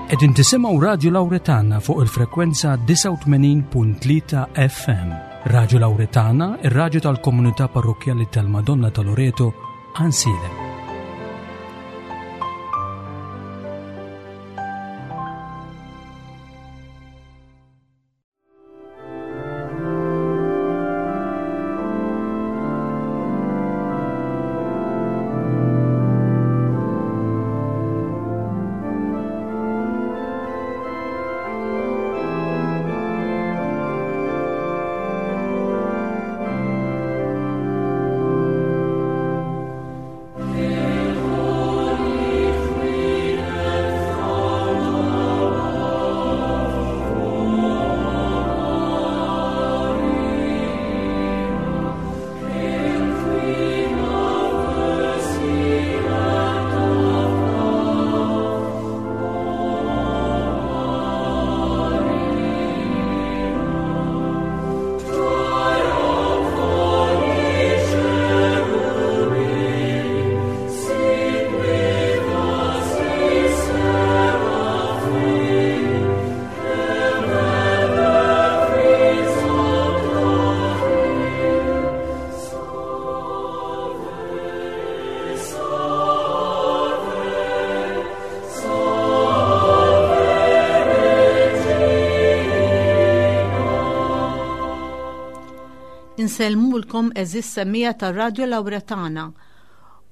Qegħdin tisimgħu Radio Lauretana fuq il-frekwenza 89.3 FM. Radio Lauretana, ir-radju tal-komunità parrokkjali tal-Madonna ta' Loreto, Ansilem. Insellmulkom eżis semija tar-Radju Lawretana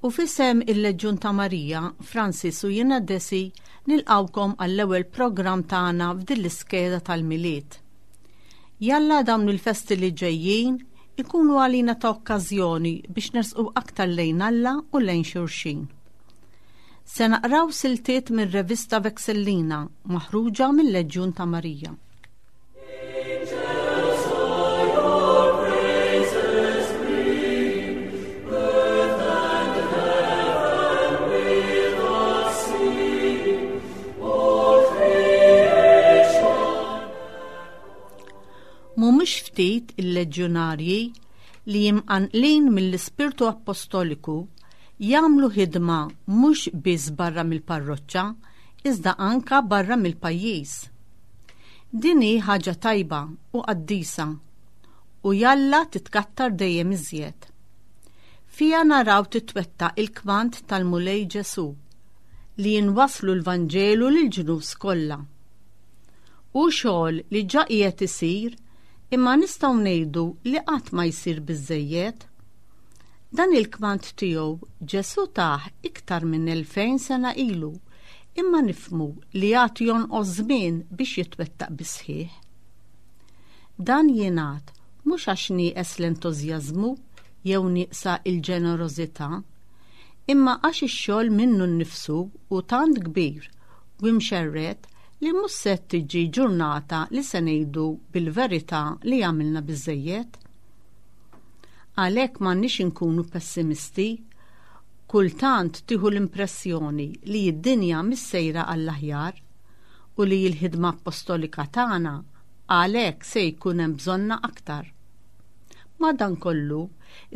u fisem il-Leġjun ta' Marija, Francis u jiena Desi nilqawkom għall-ewwel programm tagħna f'din l-iskeda tal-Milied. Jalla dawn il-festi li ġejjin ikunu għalina ta' okkażjoni biex nersqu aktar lejn Alla u lejn xulxin. Se naqraw siltiet mir-revista Vexillina maħruġa mill-Leġjun ta' Marija. Mhumiex ftit il-leġjonarji li imqanqlin mill-ispirtu appostoliku jagħmlu ħidma mhux biss barra mill-parroċċa iżda anka barra mill-pajjiż. Din hi ħaġa tajba u qaddisa u jalla titkattar dejjem iżjed. Fiha naraw titwettaq il-kmand tal-Mulej Ġesù li jinwasslu l-Vanġelu lill-ġnus kollha. Hu xogħol li ġa qiegħed isir imma nistgħu ngħidu li qatt ma jsir biżżejjed. Dan il-kmand tiegħu Ġesù tah iktar minn 2000 sena ilu imma nifhmu li għad jonqos żmien biex jitwettaq bis-sħiħ. Dan jingħad mhux għax nieqes l-entużjażmu jew nieqsa l-ġenerożità, imma għax ix-xogħol minnu nnifsu hu tant kbir u imxerred li mhux se tiġi ġurnata li se ngħidu bil-verità li għamilna biżżejjed. Għalhekk m'għandniex inkunu pessimisti. Kultant tieħu l-impressjoni li d-dinja mhix sejra għall-aħjar u li l-ħidma appostolika tagħna għalhekk se jkun hemm bżonnha aktar. Madankollu,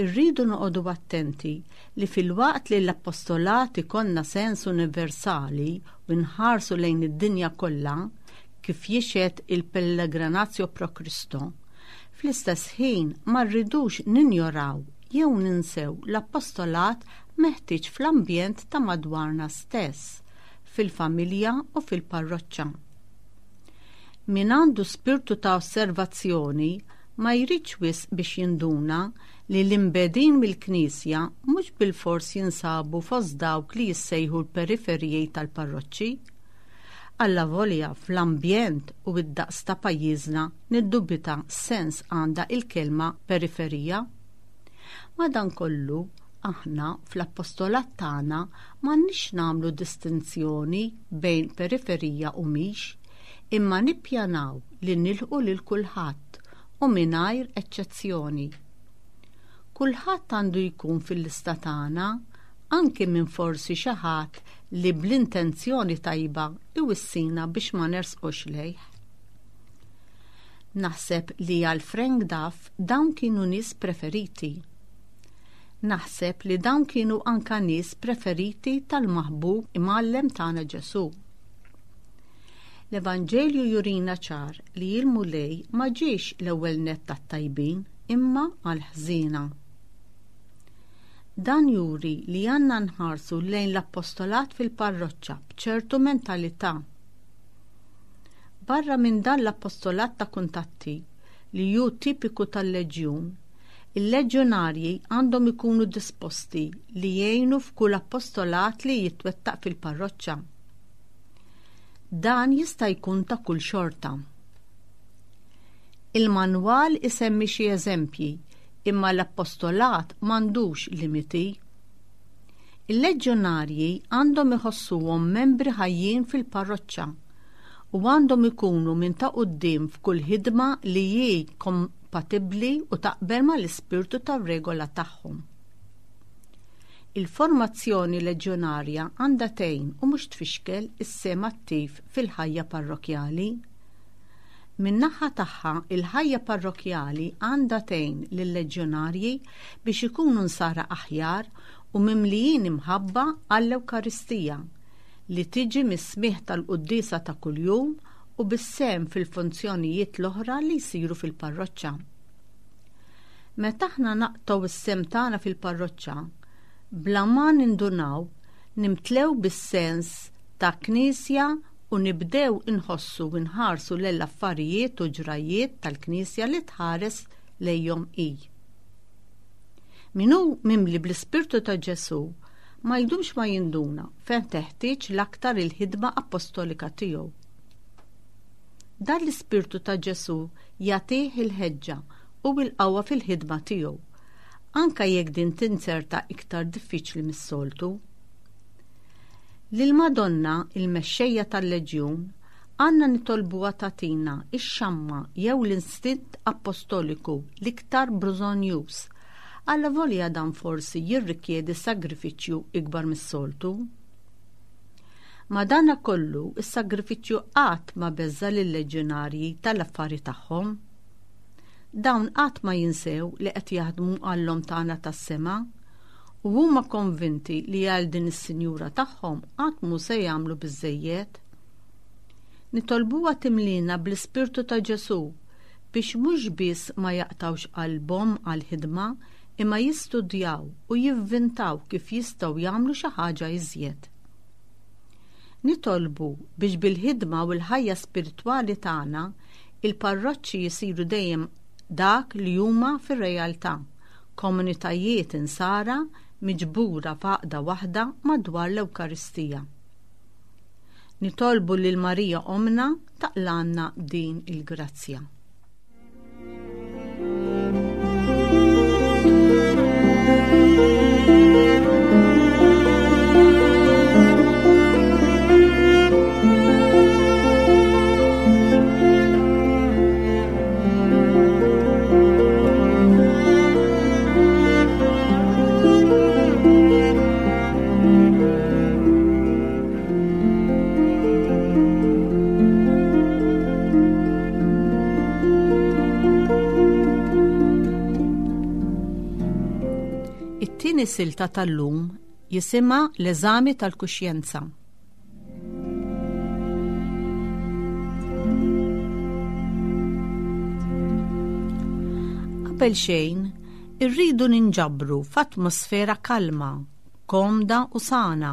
irridu noqogħdu attenti li filwaqt li l-appostolat ikollna sens universali u nħarsu lejn id-dinja kollha, kif jixhed il-Pellegrinatio pro Christo, fl-istess ħin ma rridux ninjoraw jew ninsew l-appostolat meħtieġ fl-ambjent ta' madwarna stess, fil-familja u fil-parroċċa. Min għandu spirtu ta' osservazzjoni ma jridx wisq biex jinduna li l-imbegħdin mill-Knisja mhux bilfors jinsabu fost dawk li jissejħu l-periferiji tal-parroċċi. Allavolja fl-ambjent u d-daqs ta' pajjiżna niddubita x'sens għandha il-kelma periferija. Madankollu, aħna fl-appostolat tagħna m'għandniex nagħmlu distinzjoni bejn periferija u mhix, imma nippjanaw li nilħqu lil kulħadd u mingħajr eċċezzjoni. Kulħadd għandu jkun fil-lista tagħna, anki minn forsi xi ħadd li bl-intenzjoni tajba iwissina biex ma nersqux lejh. Naħseb li għal Frank Duff dawn kienu nies preferiti. Naħseb li dawn kienu anka nies preferiti tal-maħbub imgħallem tagħna Ġesù. L-Evanġelju jurina ċar li l-Mulej ma ġiex l-ewwel nett għat-tajbin imma għall-ħżiena. Dan juri li għandna nħarsu lejn l-appostolat fil-parroċċa b'ċertu mentalità. Barra minn dan l-appostolat ta' kuntatti, li hu tipiku tal-Leġjun, il-leġjonarji għandhom ikunu disposti li jgħinu f'kull appostolat li jitwettaq fil-parroċċa. Dan jista' jkun ta' kull xorta. Il-manwal isemmi xi eżempji, imma l-appostolat m'għandux limiti. Il-leġjonarji għandhom iħossuhom membri ħajjin fil-parroċċa u għandhom ikunu minn ta' quddiem f'kull ħidma li hi kompatibbli u taqbel mal-ispirtu tar-regola tagħhom. Il-formazzjoni leġjonarja għandha tgħin u mhux tfixkel is-sehem attiv fil-ħajja parrokkjali. Min-naħa tagħha, il-ħajja parrokkjali għandha tgħin lil-leġjonarji biex ikunu nsara aħjar u mimlijin imħabba għall-Ewkaristija, li tiġi mis-smigħ tal-quddiesa ta' kuljum u bis-sehem fil-funzjonijiet l-oħra li jsiru fil-parroċċa. Meta aħna naqtgħu s-sehem tagħna fil-parroċċa, bla ma nindunaw, nimtlew bis-sens ta' Knisja u nibdew inħossu u nħarsu lejn l-affarijiet u ġrajjiet tal-Knisja li tħares lejhom hi. Min hu mimli bl-Ispirtu ta' Ġesù ma jdumx ma jinduna fejn teħtieġ l-aktar il-ħidma appostolika tiegħu. Dan l-Ispirtu ta' Ġesù jagħtih il-ħeġġa u l-qawwa fil-ħidma tiegħu, anke jekk din tinzerta iktar diffiċli mis-soltu. Lill-Madonna, il-mexxejja tal-Leġjun, għandna nitolbuha tagħtina x-xamma jew l-instint appostoliku l-iktar bżonnjuż, allavolja dan forsi jirrikjedi sagrifiċċju ikbar mis-soltu. Madanakollu, is-sagrifiċċju qatt ma beżża' lil-leġjonarji tal-affari tagħhom. Dawn qatt ma jinsew li qed jaħdmu għall-Omm tagħna tas-sema u huma konvinti li għal din is-sinjura tagħhom qatt mhu se jagħmlu biżżejjed. Nitolbuha timlina bl-Ispirtu ta' Ġesù biex mhux biss ma jaqtgħux qalbhom għall-ħidma imma jistudjaw u jivvintaw kif jistgħu jagħmlu xi ħaġa iżjed. Nitolbu biex bil-ħidma u l-ħajja spiritwali tagħna il-parroċċi jsiru dejjem dak li huma fir-realtà, komunitajiet insara miġbura f'għaqda waħda madwar l-Ewkaristija. Nitolbu lil Marija Ommna taqlgħalna din il-grazzja. It-tieni silta tal-lum jisimha l-eżami tal-kuxjenza. Qabel xejn, irridu ninġabru f'atmosfera kalma, komda u sana.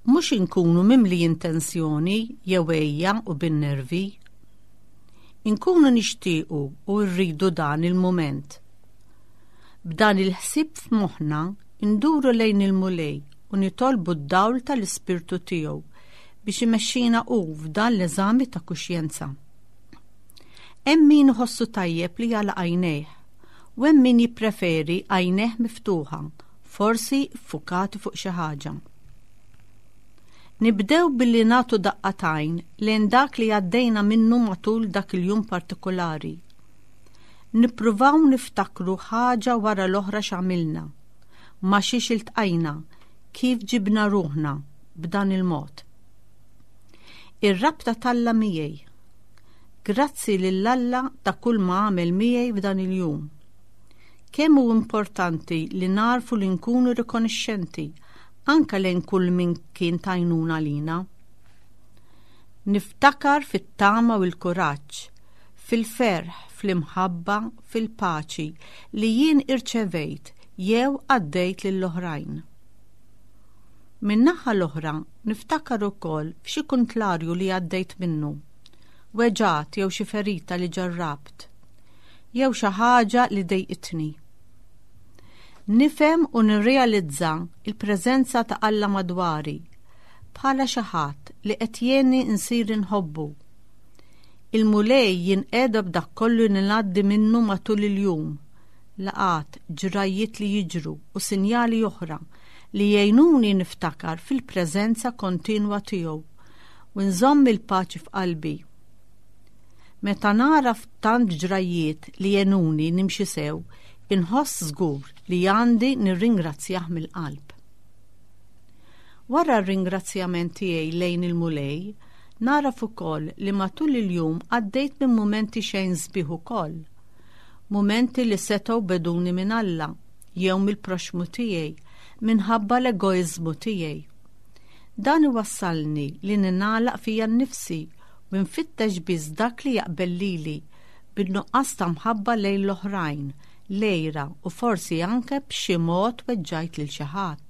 Mhux inkunu mimlijin tensjoni jew għejja u bin-nervi. Inkunu nixtiequ u rridu dan il-mument. B'dan il-ħsieb f'moħħna nduru lejn il-Mulej u nitolbu d-dawl tal-Ispirtu tiegħu biex imexxina hu f'dan l-eżami ta' kuxjenza. Hemm min iħossu tajjeb li jagħlaq għajnejh u hemm min jippreferi għajnejh miftuħa, forsi ffukati fuq xi ħaġa. Nibdew billi nagħtu daqqa t'għajn lejn dak li għaddejna minnu matul dak il-jum partikulari. Nippruvaw niftakru ħaġa wara l-oħra x'għamilna, ma' xiex iltqajna, kif ġibna ruħna b'dan il-mod. Ir-rabta t'Alla miegħi. Grazzi lil Alla ta' kull ma għamel miegħi f'dan il-jum. Kemm hu importanti li nagħrfu li nkunu rikonixxenti anke lejn kull min kien t'għajnuna lina. Niftakar fit-tama u l-kuraġġ, fil-ferħ, fl-imħabba, fil-paċi li jien irċevejt jew għaddejt lill-oħrajn. Min-naħa l-oħra niftakar ukoll f'xi kuntlarju li għaddejt minnu, weġgħat jew xi ferita li ġarrabt, jew xi ħaġa li dejqitni. Nifhem u nirrealizza l-preżenza ta' Alla madwari bħala xi ħadd li qed jgħinni nsir inħobbu. Il-Mulej jinqeda b'dak kollu li ngħaddi minnu matul il-jum, laqgħat, ġrajjiet li jiġru u sinjali oħra li jgħinuni niftakar fil-preżenza kontinwa tiegħu u nżomm il-paċi f'qalbi. Meta nagħraf tant ġrajjiet li għenuni nimxi sew, inħoss żgur li għandi nirringrazzjah mill-qalb. Wara r-ringrazzjament tiegħi lejn il-Mulej, nagħraf ukoll li matul il-jum għaddejt minn mumenti xejn sbieħ ukoll. Mumenti li setgħu beduni minn Alla jew mill-proxxmu tiegħi minħabba l-egoiżmu tiegħi. Dan iwassalni li ningħalaq fija nnifsi u nfittex biss dak li jaqbel lili, bin-nuqqas ta' mħabba lejn l-oħrajn, l-għira u forsi anke b'xi mod weġġajt lil xi ħadd.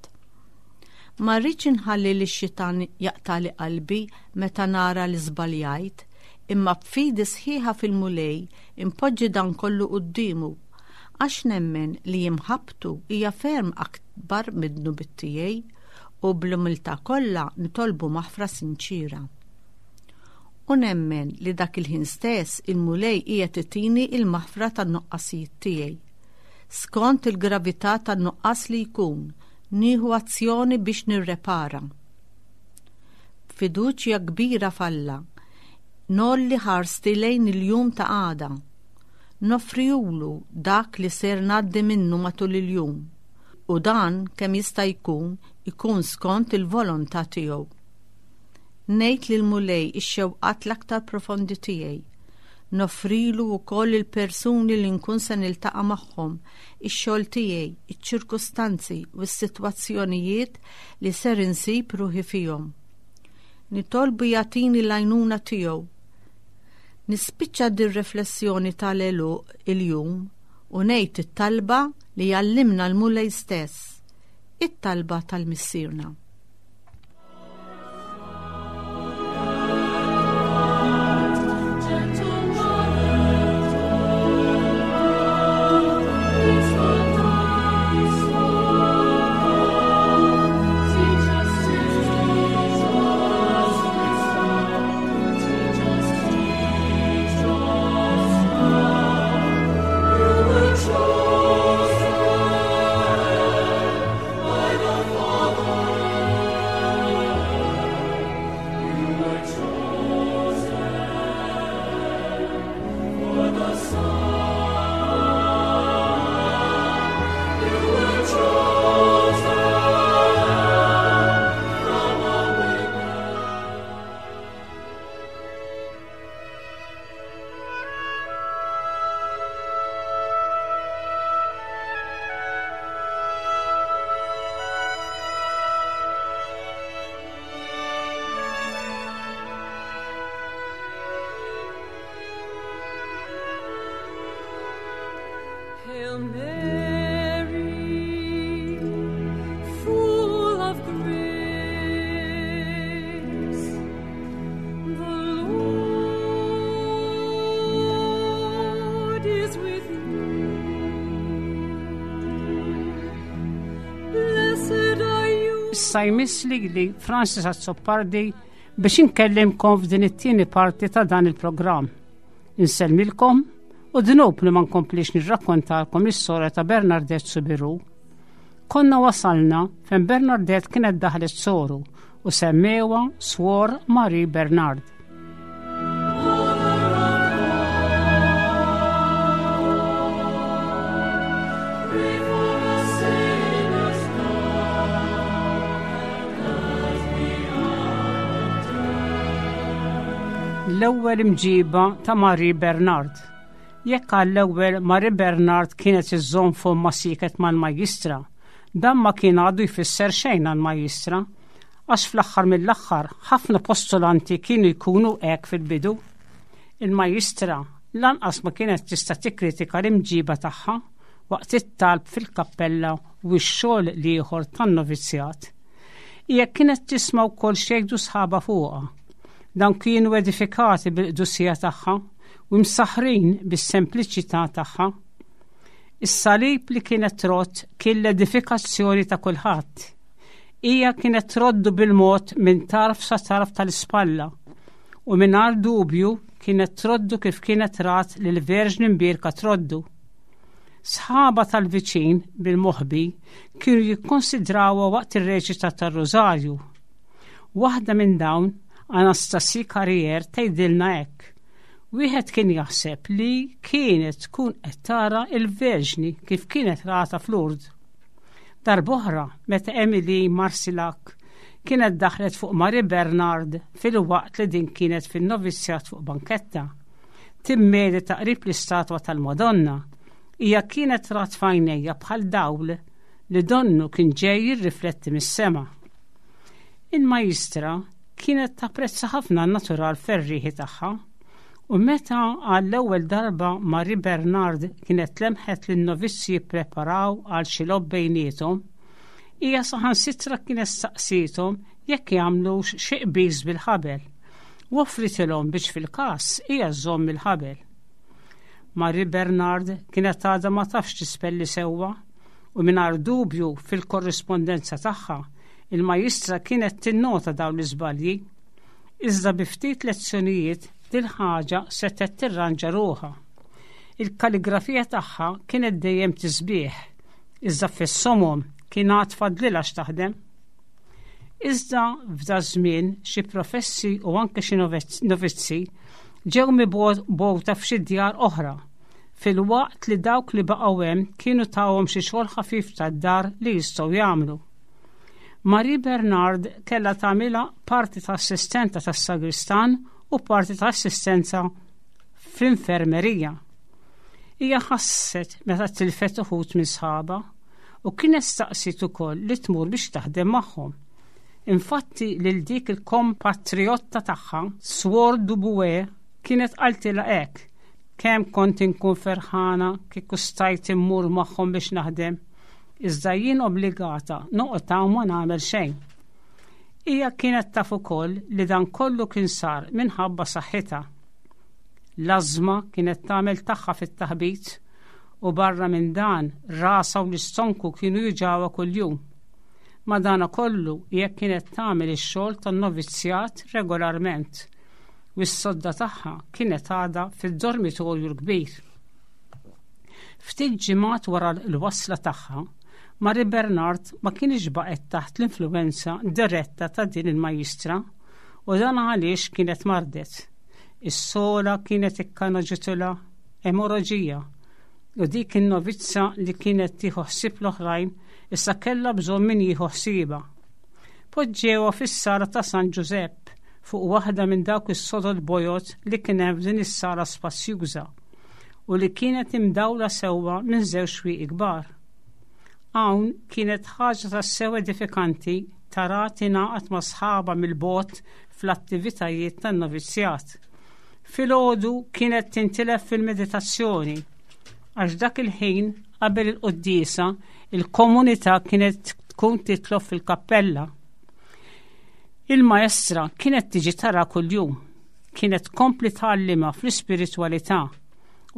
Ma rridx inħalli lix-xitan jaqtagħli qalbi meta nara li żbaljajt, imma b'fidi sħiħa fil-Mulej inpoġġi dan kollu quddiemu, għax nemmen li imħabbtu hija ferm akbar mid-dnubiet tiegħi u bl-umiltà kollha nitolbu maħfra sinċiera. U nemmen li dak il-ħin stess il-Mulej qiegħed itini l-maħfra tan-nuqqasijiet tiegħi. Skont il-gravità tan-nuqqas li jkun, nieħu azzjoni biex nirrepara. B'fiduċja kbira f'Alla, ngħolli ħarsti lejn il-jum ta' għada. Noffrihulu dak li ser ngħaddi minnu matul il-jum, u dan kemm jista' jkun ikun skont il-volontà tiegħu. Ngħid lill-Mulej ix-xewqat l-aktar profondi tiegħi. Noffrilu wkoll il-persuni li nkun se niltaqa' magħhom, ix-xogħol tiegħi, iċ-ċirkustanzi u s-sitwazzjonijiet li ser insib ruħi fihom. Nitolbu jagħtini l-għajnuna tiegħu. Nispiċċa dir-riflessjoni tal-għeluq il-jum u ngħid it-talba li għallimna l-Mulej stess, it-talba tal-Missierna. Hail Mary, full of grace, the Lord is with you. Blessed are you. Issa jmiss lili Francis Azzopardi biex inkellimkom f'din it-tieni parti ta' dan il-programm. Insellmilkom u dnub li ma nkomplix nirrakkontalkom l-istorja ta' Bernardette Soubirous. Konna wasalna fejn Bernardette kienet daħlet soru u semmewha Swor Marie Bernard. L-ewwel imġiba ta' Marie Bernard. Jekk għall-ewwel Marie Bernard kienet iżżomm fommha sieket mal-majjistra, dan ma kien għadu jfisser xejn għall-majjistra. Għax fl-aħħar mill-aħħar ħafna postulanti kienu jkunu hekk fil-bidu. Il-majjistra lanqas ma kienet tista' tikkritika l-imġiba tagħha waqt it-talb fil-kappella u x-xogħol l-ieħor tan-novizzjat. Hija kienet tisma' wkoll x'jgħidu sħabha fuqha. Dawn kienu edifikati bil-qdusija tagħha u msaħħrin bis-sempliċità tagħha. Is-salib li kienet trodd kien l-edifikazzjoni ta' kulħadd. Hija kienet troddu bil-mod minn tarf sa tarf tal-ispalla u mingħajr dubju kienet troddu kif kienet rat lil Verġni Mbierka troddu. Sħaba tal-viċin bil-moħbi kienu jikkonsidrawha waqt ir-reċita tar-Rużarju. Waħda minn dawn, Anastasie Carrier, tgħidilna hekk. Wieħed kien jaħseb li kienet tkun qed tara l-Verġni kif kienet rata f'Lourdes. Darb'oħra, meta Emily Marsillac kienet daħlet fuq Marie Bernard filwaqt li din kienet fin-novizzjat fuq banketta, timmedita qrib l-istatwa tal-Madonna, hija kienet rat f'għajnejha bħal dawl li donnu kien ġej jirrifletti mis-sema. Il-majistra kienet tapprezza ħafna n-natural ferrieħi tagħha u meta għall-ewwel darba Marie Bernard kienet lemħet lin-novizzi jippreparaw għal xi logħob bejniethom, hija saħansitra kienet staqsiethom jekk jagħmlux xi qbiż bil-ħabel u offritilhom biex fil-każ hija żżomm il-ħabel. Marie Bernard kienet għadha ma tafx tispelli sewwa u mingħajr dubju fil-korrispondenza tagħha il-majistra kienet tinnota dawn l-iżbalji. Iżda bi ftit lezzjonijiet dil-ħaġa setgħet tirranġa ruħha. Il-kaligrafija tagħha kienet dejjem tisbieħ, iżda fis-somom kien għad fadlilha x'taħdem. Iżda f'da żmien xi professi u anke xi novizzi ġew mibgħuta f'xi djar oħra, filwaqt li dawk li baqgħu hemm kienu tawhom xi xogħol ħafif tad-dar li jistgħu jagħmlu. Marie Bernard kellha tagħmilha parti ta' assistenta tas-sagristan u parti ta' assistenza fl-infermerija. Hija ħasset meta tilfet uħud minn sħabha u kienet staqsiet ukoll li tmur biex taħdem magħhom. Infatti lil dik il-kompatriotta tagħha, Swor Dubué, kienet qaltilha hekk, Kemm kont inkun ferħana kieku stajt immur magħhom biex naħdem, iżda jien obbligata noqgħod hawn ma nagħmel xejn. Hija kienet taf ukoll li dan kollu kien sar minħabba saħħitha. L-ażma kienet tagħmel tagħha fit-taħbit u barra minn dan rasha u l-istonku kienu juġgħuha kuljum. Madanakollu hija kienet tagħmel ix-xogħol tan-novizzjat regolarment u s-sodda tagħha kienet għadha fid-dormitorju l-kbir. Ftit ġimgħat wara l-wasla tagħha, Marie Bernard ma kienx baqgħet taħt l-influwenza diretta ta' din il-majjistra u dan għaliex kienet mardet. Is-sola kienet ikkanoġitulha emoroġija u dik in-novizza li kienet tieħu ħsieb l-oħrajn issa kellha bżonn min jieħu ħsiebha. Poġġewha fis-sala ta' San Ġużepp fuq waħda minn dawk is-sodod bojod li kien hemm f'din is-sala spazjuża u li kienet imdawla sewwa minn żewġ xwieqi kbar. Hawn kienet ħaġa tassew edifikanti tara tingħaqad ma' sħabha mill-bogħod fl-attivitajiet tan-novizzjat. Filgħodu kienet tintilef fil-meditazzjoni għax dak il-ħin qabel il-quddiesa il-komunità kienet tkun titlob fil-kappella. Il-maestra kienet tiġi tara kuljum, kienet tkompli tgħallimha fl-ispiritwalità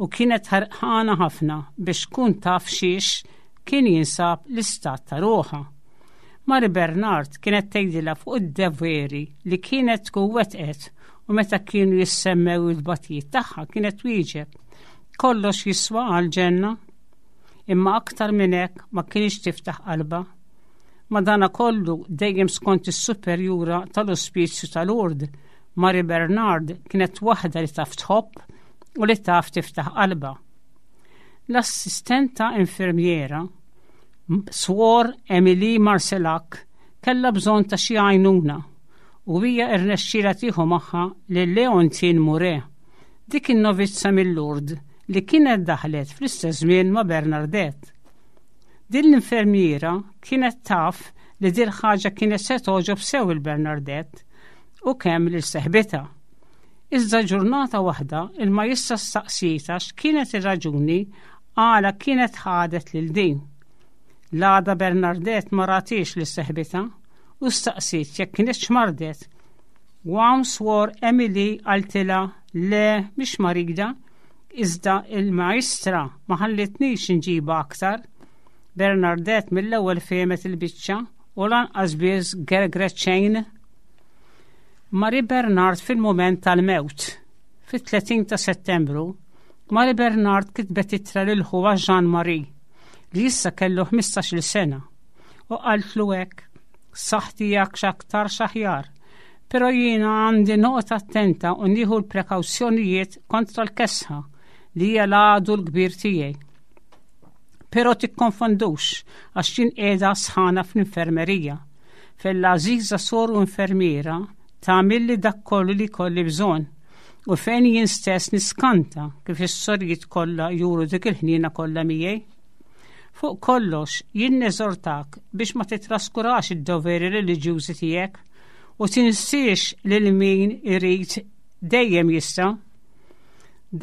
u kienet ħerqana ħafna biex tkun taf xiex kien jinsab l-istat ta' ruħha. Mari Bernard kienet tgħidilha fuq id-deveri li kienet tkun wettqet u meta kienu jissemmew il-batijiet tagħha kienet twieġeb, Kollox jiswa għall-ġenna. Imma aktar minn hekk ma kienx tiftaħ qalbha. Madanakollu dejjem skont is-superjura tal-ospizju ta' Lourdes, Mari Bernard kienet waħda li taf tħobb u li taf tiftaħ qalbha. L-assistenta infermiera Swor Emily Marcelac kellha bżonn ta' xi għajnuna u hija rnexxielha tieħu magħha lil Leontine Mouret, dik in-novizza mil-Lourdes li kienet daħlet fl-istess żmien ma' Bernardette. Din l-infermiera kienet taf li dil ħaġa kienet se togħġob sew il-Bernardette u kemm lil seħbitha. Iżda ġurnata waħda il-majistra staqsietha x'kienet ir-raġuni għala kienet ħadet lil din. L-għada Bernardette ma ratiex lil seħbitha u staqsiet jekk kinitx mardet. U hawn Swor Emily qaltilha le mhix marida, iżda il-majstra ma ħallitnix inġibha aktar. Bernardette mill-ewwel fehmet il-biċċa u lanqas biss gergret xejn. Marie Bernard fil-mument tal-mewt. Fit-30 ta' Settembru, Marie Bernard kitbet ittra lil ħuha Jean Marie li issa kellu 15-il sena u qaltlu hekk, Saħħti hija x'aktarx aħjar, però jiena għandi noqgħod attenta u nieħu l-prekawzjonijiet kontra l-kesħa li hija l-għadu l-kbir tiegħi. Però tikkonfondux għax jien qiegħda sħana fl-infermerija, fejn l-għażiża soru infermiera tagħmilli dak kollu li jkolli bżonn u fejn jien stess niskanta kif is-sorijiet kollha juru dik il-ħniena kollha miegħi. Fuq kollox, jien neżortak biex ma titraskurax id-doveri reliġjużi tiegħek u tinsiex lil min irid dejjem jista'.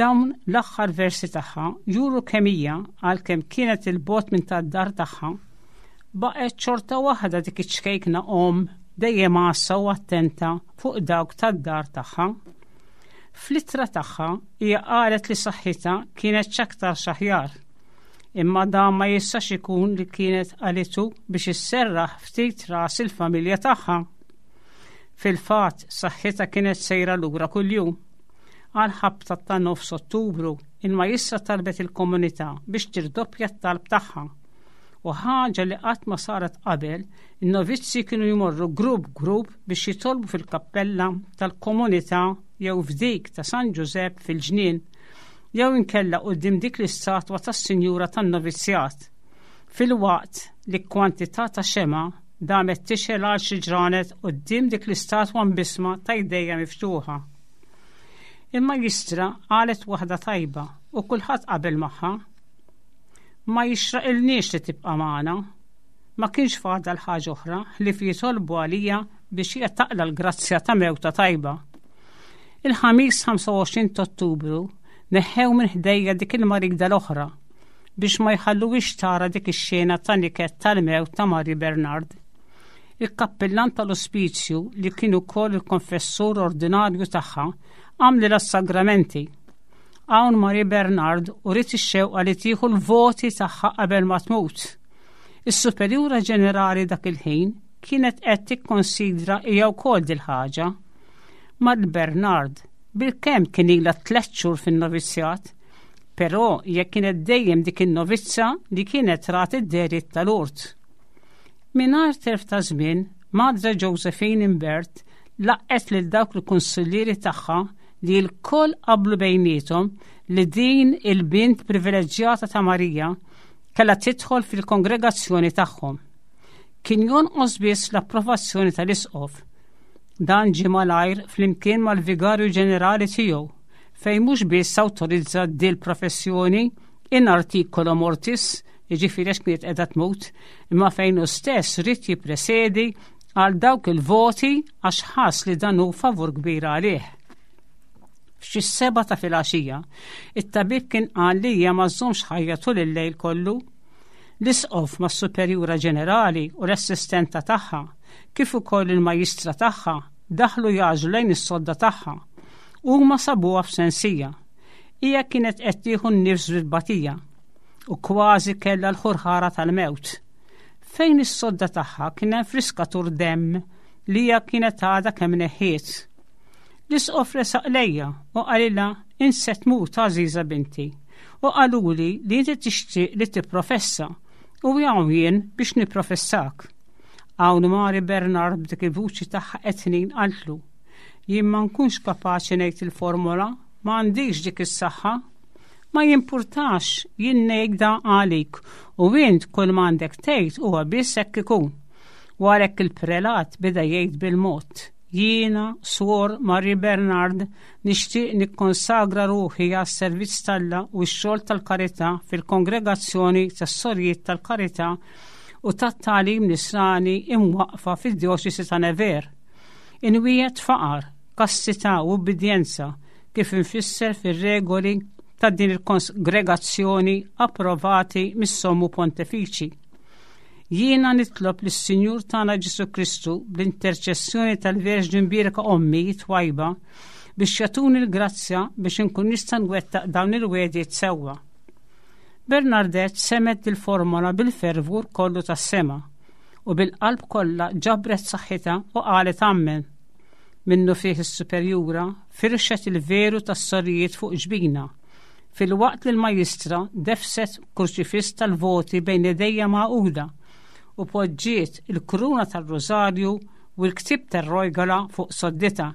Dawn l-aħħar versi tagħha juru kemm hija għalkemm kienet il-bogħod minn tad-dar tagħha, baqgħet xorta waħda dik iċ-ċkejkna omm dejjem għassa u attenta fuq dawk tad-dar tagħha. Fl-ittra tagħha hija qalet li saħħitha kienet x'aktarx aħjar. Imma dan ma jistax ikun li kienet qalitu biex isserraħ ftit ras il-familja tagħha. Fil-fatt, saħħitha kienet sejra lura kuljum. Għal ħabta ta' nofs Ottubru, il-majistra talbet il-komunità biex tirdoppja t-talb tagħha. U ħaġa li qatt ma saret qabel, in-novizzi kienu jmorru grupp grupp biex jitolbu fil-kappella tal-komunità jew f'dik ta' San Ġużepp fil-ġnien, jew inkella quddiem dik l-istatwa tas-Sinjura tan-Novizzjat, filwaqt li kwantità ta' xemgħa damet tixgħel għal xi ġranet quddiem dik l-istatwa mbissma ta' jdejha miftuħa. Il-Majjistra qalet waħda tajba u kulħadd qabel magħha. Ma jixraqilniex li tibqa' magħna. Ma kienx fadal ħaġa oħra ħlief jitolbu għalija biex hija taqla' l-grazzja ta' mewta tajba. Il-Ħamis 25 ta' Ottubru neħħew minn ħdejja dik il-marida l-oħra biex ma jħalluhiex tara dik ix-xena ta' niket tal-mewt ta' Marie Bernard. Il-kappillan tal-ospizju li kien ukoll il-konfessur ordinarju tagħha għamlilha s-sagramenti. Hawn Marie Bernard uriet ix-xewqa li tieħu l-voti tagħha qabel ma tmut. Is-Superjura Ġenerali dak il-ħin kienet qed tikkonsidra hija wkoll dil-ħaġa. Marie Bernard bilkemm kien ilha tlett xhur fin-novizzjat, però hija kienet dejjem dik in-novizza li kienet rat id-dehriet tal-urt. Mingħajr telf ta' żmien, Madre Josephine Imbert laqgħet lil dawk il-kunsillieri tagħha li lkoll qablu bejniethom li din il-bint privileġġjata ta' Marija kellha tidħol fil-kongregazzjoni tagħhom. Kien jonqos biss l-approvazzjoni tal-isqof. Dan ġie malajr flimkien mal-vigarju ġenerali tiegħu fejn mhux biss awtorizza dil professjoni in articolo mortis, jiġifieri għax kienet qiegħda tmut, imma fejn hu stess ried jippresedi għal dawk il-voti għax ħass li dan hu favur kbir għalih. F'xi s-sebgħa ta' filgħaxija, it-tabib kien qal li hija ma żżommx ħajja tul il-lejl kollu. L-isqof mas-superjura ġenerali u l-assistenta tagħha, kif ukoll il-majjistra tagħha, daħlu jagħġlu lejn is-sodda tagħha. Huma sabuha f'sensija. Hija kienet qed tieħu n-nifs bil-batija u kważi kellha l-ħurħara tal-mewt. Fejn is-sodda tagħha kien hemm friskatur demm li hija kienet għadha kemm neħħiet. L-isqof resaq lejja u qalilha int se tmut għażiża binti u qaluli li inti tixtieq li tipprofessa u hawn jien biex nipprofessak. Hawn Mari Bernard b'dik il-vuċi tagħha qed tnin qaltlu jien ma nkunx kapaċi ngħid il-formola, ma għandix dik is-saħħa. Ma jimpurtax, jien ngħidha għalik u int kull ma għandek tgħid huwa biss hekk ikun. U għalhekk il-prelat beda jgħid bil-mod. Jiena, Suor Marie Bernard, nixtieq nikkonsagra ruħi għas-servizz t'Alla u x-xogħol tal-karità fil-Kongregazzjoni tas-Sorijiet tal-Karità. u tat-tagħlim nisrani imwaqqfa fid-djoċesi ta' Nevers. Inwiegħed faqar, kastità u ubbidjenza kif imfisser fir-regoli ta' din il-kongregazzjoni approvati mis-Sommu Pontefiċi. Jiena nitlob lis-Sinjur tagħna Ġesù Kristu bl-interċessjoni tal-Verġni Mbierka Ommi twajba biex jagħtuni l-grazzja biex inkun nista' nwettaq dawn il-wegħdiet sewwa. Bernardette semgħet dil-formola bil-fervur kollu tas-sema u bil-qalb kollha ġabret saħħitha u qalet ammen. Minnufih is-superjura firxet il-veru tas-sorijiet fuq ġbinha, filwaqt li l-majjistra defset kurċifiss tal-voti bejn idejja magħquda u poġġiet il-kuruna tar-rużarju u l-ktieb tar-rojgola fuq sodditha.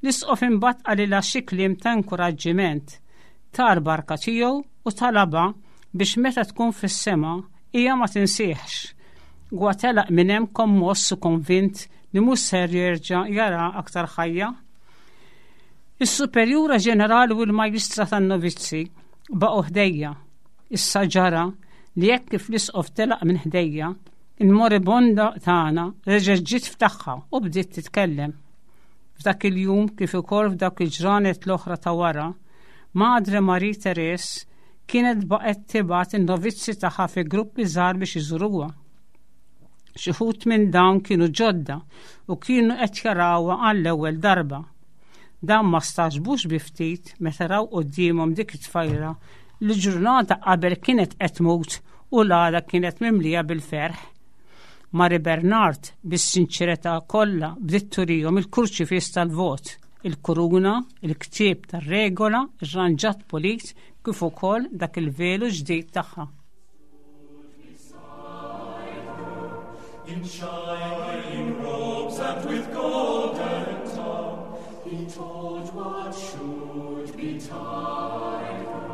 L-isqof imbagħad qalilha xi kliem ta' inkuraġġiment, ta l-barka tiegħu u talabha biex meta tkun fis-sema hija ma tinsihx. Huwa telaq minn hemm kommoss u konvint li mhux ser jerġa' jara aktar ħajja. Is-Superjura Ġenerali u l-Majjistra tan-Novizzi baqgħu ħdejja. Issa ġara li hekk kif l-Isqof telaq minn ħdejja, il-moribonda tagħna reġgħet ġiet f'tagħha u bdiet titkellem. F'dak il-jum kif ukoll f'dawk il-ġranet l-oħra ta' wara, Madre Marie Therese kienet baqgħet tibgħat in-novizzi tagħha fi gruppi żgħar biex iżuruha. Xi wħud minn dawn kienu ġodda u kienu qed jarawha għall-ewwel darba. Dawn ma stagħġbux bi ftit meta raw quddiemhom dik it-tfajla li ġurnata qabel kienet qed tmut u l-għada kienet mimlija bil-ferħ. Mari Bernard bis-sinċerità kollha bdiet turihom il-kurċifiss tal-vot, il-kuruna, il-ktieb tar-regola, irranġat pulit kif ukoll dak il-velu ġdid tagħha. In shining robes and with golden tongue, he told what should betide her.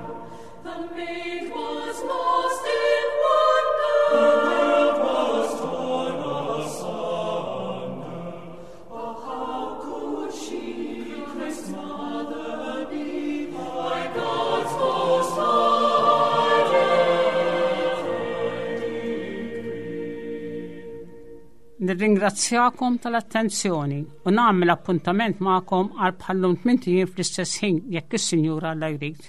The maid was lost in wonder. The world was torn asunder. Oh, how could she, Christ's mother, be by God's most high decree? Nirringrazzjakom tal-attenzjoni u nagħmel appuntament magħkom għal bħallum tmint ijiem fl-istess ħin jekk is-Sinjur Alla jrid.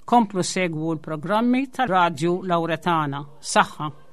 Komplu segwu l-programmi tal-Radju Lawretana. Saħħa!